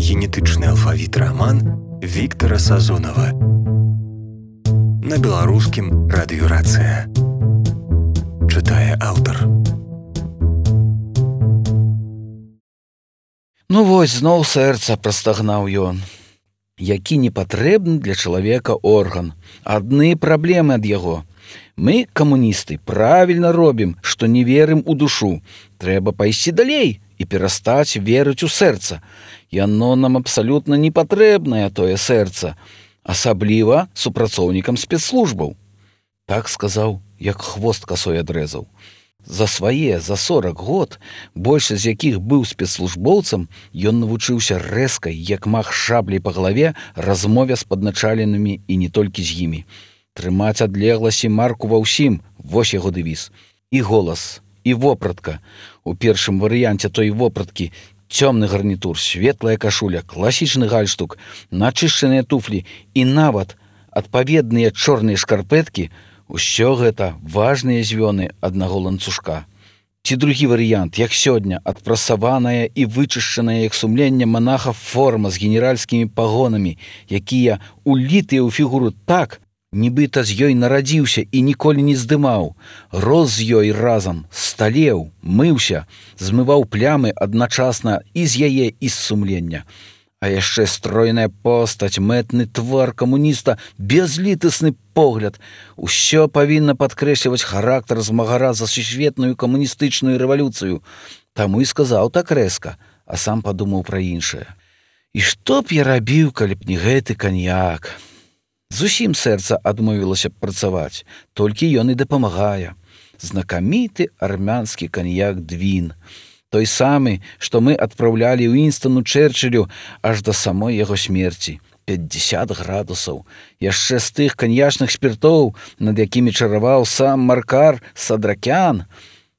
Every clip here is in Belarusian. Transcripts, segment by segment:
генетычны алфавіт раман Віктара Сазонава. На беларускім радыёрацыя. Чытае аўтар. Ну вось, зноў сэрца, прастагнаў ён. Які непатрэбны для чалавека орган. Адны праблемы ад яго. Мы, камуністы, правільна робім, што не верым у душу. Трэба пайсці далей і перастаць верыць у сэрца. Яно нам абсалютна не патрэбнае, тое сэрца. Асабліва супрацоўнікам спецслужбаў. Так сказаў, як хвост касой адрэзаў. За 40 год, большасць з якіх быў спецслужбоўцам, ён навучыўся рэзкай, як мах шаблей па галаве, размове з падначаленымі і не толькі з імі. Трымаць адлегласць і марку ва ўсім, вось яго дэвіз. І голас, і вопратка. У першым варыянце той вопраткі цёмны гарнітур, светлая кашуля, класічны гальштук, начышчаныя туфлі і нават адпаведныя чорныя шкарпэткі. Усё гэта важныя звёны аднаго ланцужка. Ці другі варыянт, як сёння, адпрасаваная і вычышчаная як сумленне манаха форма з генеральскімі пагонамі, якія улітыя ў фігуру так, нібыта з ёй нарадзіўся і ніколі не здымаў, рос з ёй разам, сталеў, мыўся, змываў плямы адначасна і з яе, і з сумлення. А яшчэ стройная постаць, мэтны твар камуніста, бязлітасны погляд. Усё павінна падкрэсліваць характар змагара за сусветную камуністычную рэвалюцыю. Таму і сказаў так рэзка, а сам падумаў пра іншае. І што б я рабіў, калі б не гэты каньяк? Зусім сэрца адмовілася б працаваць, толькі ён і дапамагае. Знакаміты армянскі каньяк Двін. Той самы, што мы адпраўлялі Уінстону Чэрчылю аж да самой яго смерці. 50 градусаў. Яшчэ з тых каньячных спіртоў, над якімі чараваў сам Маркар Садракян.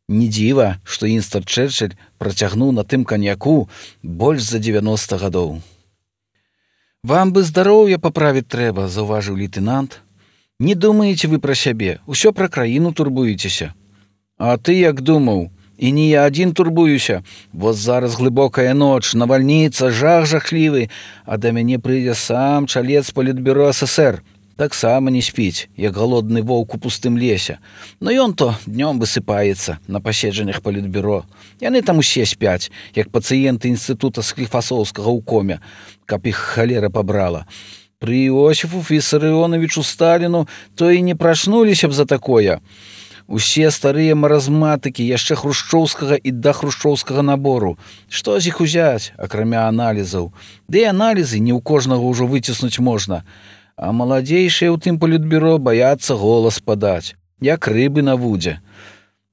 Не дзіва, што Уінстон Чэрчыль працягнуў на тым каньяку больш за 90 гадоў. «Вам бы здароўе паправіць трэба», — заўважыў лейтэнант. «Не думаеце вы пра сябе, усё пра краіну турбуецеся». «А ты як думаў? І не я адзін турбуюся. Вось зараз глыбокая ноч, навальніца, жах жахлівы, а да мяне прыйдзе сам чалец палітбюро СССР. Таксама не спіць, як галодны воўк у пустым лесе. Но ён то днём высыпаецца на паседжаннях палітбюро. Яны там усе спяць, як пацыенты інстытута Скліфасоўскага ў коме, каб іх халера пабрала. Пры Іосіфу Вісарыёнавічу Сталіну то і не прачнуліся б за такое. Усе старыя маразматыкі яшчэ хрушчоўскага і дахрушчоўскага набору. Што з іх узяць, акрамя аналізаў? Ды і аналізы не ў кожнага ўжо выціснуць можна. А маладзейшыя ў тым палітбюро баяцца голас падаць, як рыбы на вудзе.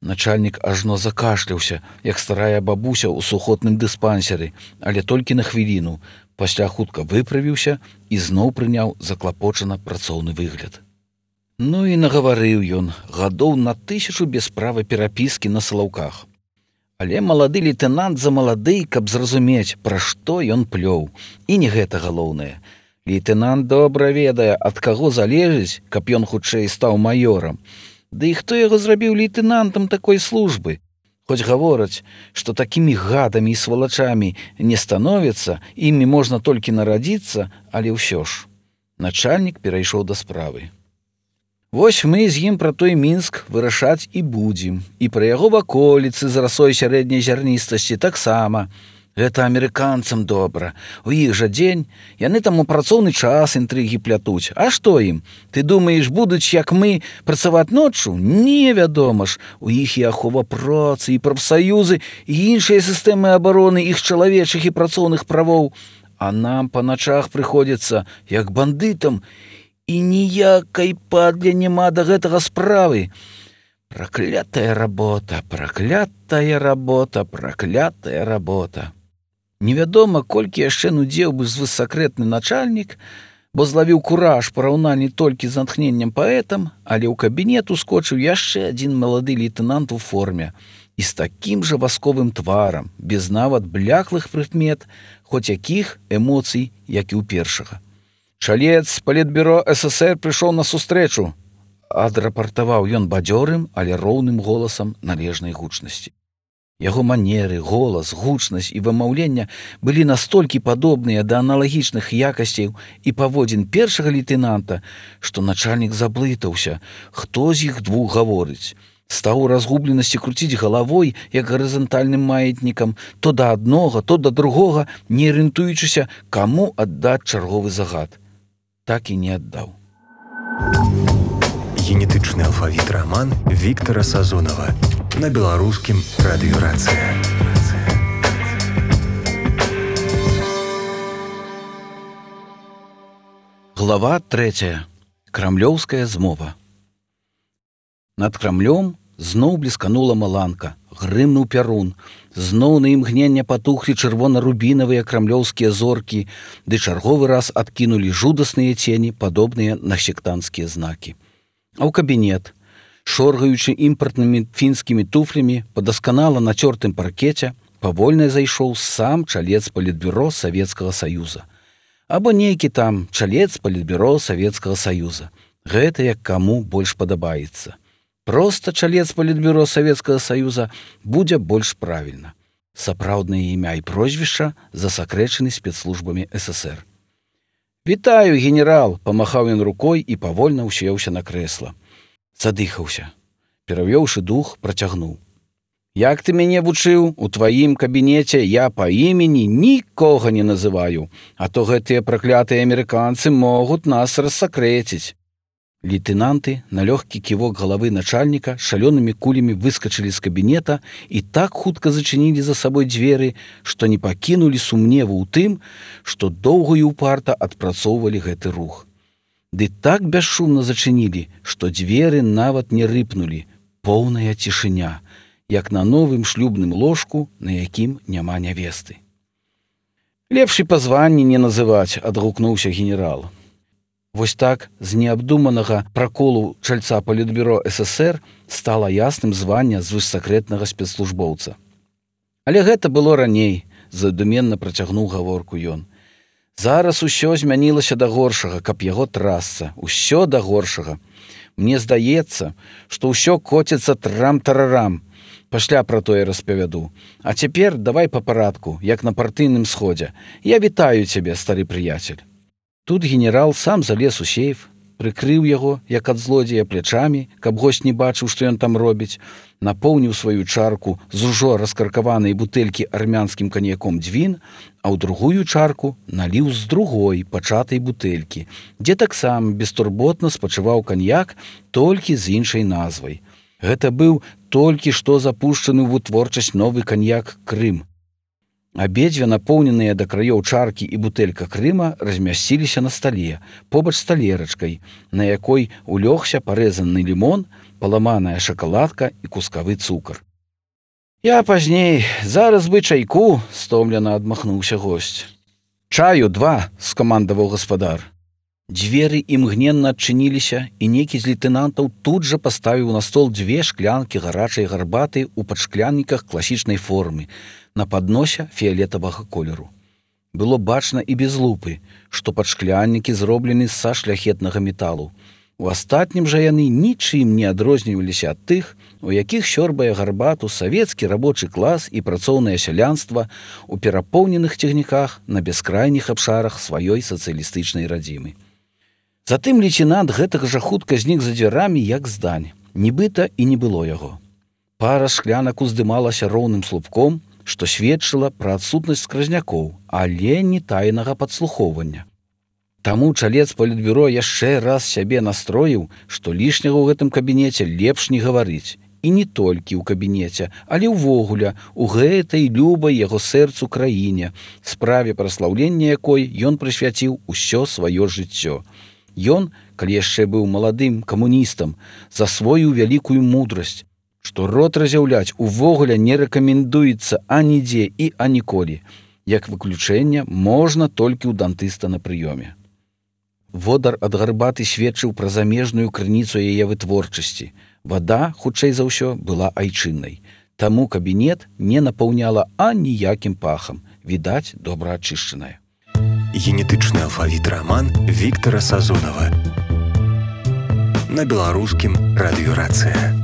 Начальнік ажно закашляўся, як старая бабуся ў сухотным дыспансеры, але толькі на хвіліну. Пасля хутка выправіўся і зноў прыняў заклапочана працоўны выгляд. Ну і нагаварыў ён, гадоў на 1000 без права перапіскі на салаўках. Але малады лейтэнант замалады, каб зразумець, пра што ён плёў. І не гэта галоўнае. Лейтэнант добра ведае, ад каго залежыць, каб ён хутчэй стаў маёрам. Ды і хто яго зрабіў лейтэнантам такой службы? Хоць гавораць, што такімі гадамі і свалачамі не становіцца, імі можна толькі нарадзіцца, але ўсё ж. Начальнік перайшоў да справы. Вось мы з ім пра той Мінск вырашаць і будзем. І пра яго ваколіцы з расой сярэдняй зярністасці таксама. Гэта амерыканцам добра. У іх жа дзень. Яны там у працоўны час інтрыгі плятуць. А што ім? Ты думаеш, будуць, як мы, працаваць ноччу? Не, вядома ж. У іх і ахова працы, і прафсаюзы, і іншыя сістэмы абароны іх чалавечых і працоўных правоў. А нам па начах прыходзіцца, як бандытам, і ніякай падле няма да гэтага справы. Праклятая работа, праклятая работа, праклятая работа. Невядома, колькі яшчэ нудзеў бы звысакрэтны начальнік, бо злавіў кураж параўнанні толькі з натхненнем паэтам, але ў кабінет ускочыў яшчэ адзін малады лейтэнант у форме і з такім жа васковым тварам, без нават бляклых прыкмет, хоць якіх эмоцый, як і ў першага. «Чалец палітбюро СССР прыйшоў на сустрэчу», — адрапартаваў ён бадзёрым, але роўным голасам належнай гучнасці. Яго манеры, голас, гучнасць і вымаўлення былі настолькі падобныя да аналагічных якасцяў і паводзін першага лейтэнанта, што начальнік заблытаўся, хто з іх двух гаворыць. Стаў у разгубленасці круціць галавой, як гарызантальным маятнікам, то да аднога, то да другога, не арыентуючыся, каму аддаць чарговы загад. Так і не аддаў. Генетычны алфавіт раман Віктара Сазонава на беларускім радыё «Рацыя». Глава 3. Крамлёўская змова. Над Крамлём зноў блісканула маланка, грымнуў пярун, зноў на імгнення патухлі чырвона-рубінавыя крамлёўскія зоркі, ды чарговы раз адкінулі жудасныя цені, падобныя на сектанцкія знакі. А ў кабінет, шоргаючы імпартнымі фінскімі туфлямі па дасканала нацёртым паркеце, павольна зайшоў сам чалец палітбюро Савецкага Саюза. Або нейкі там чалец палітбюро Савецкага Саюза. Гэта як каму больш падабаецца. Проста чалец палітбюро Савецкага Саюза будзе больш правільна. Сапраўднае імя і прозвішча засакрэчаны спецслужбамі ССР. «Вітаю, генерал!» – памахаў ён рукой і павольна ўсеўся на крэсла. Задыхаўся. Перавёўшы дух, працягнуў. «Як ты мяне вучыў, у тваім кабінеце я па імені нікога не называю, а то гэтыя праклятыя амерыканцы могуць нас рассакрэціць». Лейтэнанты на лёгкі ківок галавы начальніка шалёнымі кулямі выскачылі з кабінета і так хутка зачынілі за сабой дзверы, што не пакінулі сумневу ў тым, што доўга і ўпарта адпрацоўвалі гэты рух. Ды так бясшумна зачынілі, што дзверы нават не рыпнулі, поўная цішыня, як на новым шлюбным ложку, на якім няма нявесты. «Лепш і па званні не называць», – адгукнуўся генерал. Вось так з неабдуманага праколу чальца палітбюро ССР стала ясным звання звышсакрэтнага спецслужбоўца. Але гэта было раней, задуменна працягнуў гаворку ён. Зараз усё змянілася да горшага, каб яго трасца, усё да горшага. Мне здаецца, што ўсё коціцца трам-тарарам. Пасля пра тое распавяду. А цяпер давай па парадку, як на партыйным сходзе. Я вітаю цябе, стары прыяцель. Тут генерал сам залез у сейф, прыкрыў яго, як ад злодзея, плячамі, каб госць не бачыў, што ён там робіць, напоўніў сваю чарку з ужо раскаркаванай бутэлькі армянскім каньяком дзвін, а ў другую чарку наліў з другой пачатай бутэлькі, дзе таксама бестурботна спачываў каньяк, толькі з іншай назвай. Гэта быў толькі што запушчаны ў вытворчасць новы каньяк «Крым». Абедзве напоўненыя да краёў чаркі і бутэлька Крыма размясціліся на стале, побач з талерачкай, на якой улёгся парэзаны лімон, паламаная шакаладка і кускавы цукар. «Я пазней, зараз бы чайку», – стомлена адмахнуўся госць. «Чаю 2», – скамандаваў гаспадар. Дзверы імгненна адчыніліся, і некі з лейтэнантаў тут жа паставіў на стол 2 шклянкі гарачай гарбаты ў падшклянніках класічнай формы, на падносе фіялетавага колеру. Было бачна і без лупы, што падшкляннікі зроблены са шляхетнага металу. У астатнім жа яны нічым не адрозніваліся ад тых, у якіх сёрбае гарбату савецкі рабочы клас і працоўнае сялянства ў перапоўненых цягніках на бяскрайніх абшарах сваёй сацыялістычнай радзімы. Затым лейтэнант гэтага жа хутка знік за дзвярамі, як здань. Нібыта і не было яго. Пара шклянак уздымалася роўным слупком, што сведчыла пра адсутнасць скразнякоў, але не тайнага падслухоўвання. Таму чалец палітбюро яшчэ раз сябе настроіў, што лішняга ў гэтым кабінеце лепш не гаварыць. І не толькі ў кабінеце, але ўвогуле у гэтай любай яго сэрцу краіне, справе праслаўлення якой ён прысвяціў усё сваё жыццё. Ён, калі яшчэ быў маладым камуністам, засвоіў вялікую мудрасць, што рот разяўляць увогуле не рэкамендуецца анідзе і аніколі. Як выключэнне можна толькі ў дантыста на прыёме. Водар ад гарбаты сведчыў пра замежную крыніцу яе вытворчасці. Вада, хутчэй за ўсё, была айчыннай. Таму кабінет не напаўняла аніякім пахам. Відаць, добра ачышчаная. Генетычны алфавіт раман Віктара Сазонава на беларускім радыё «Рацыя».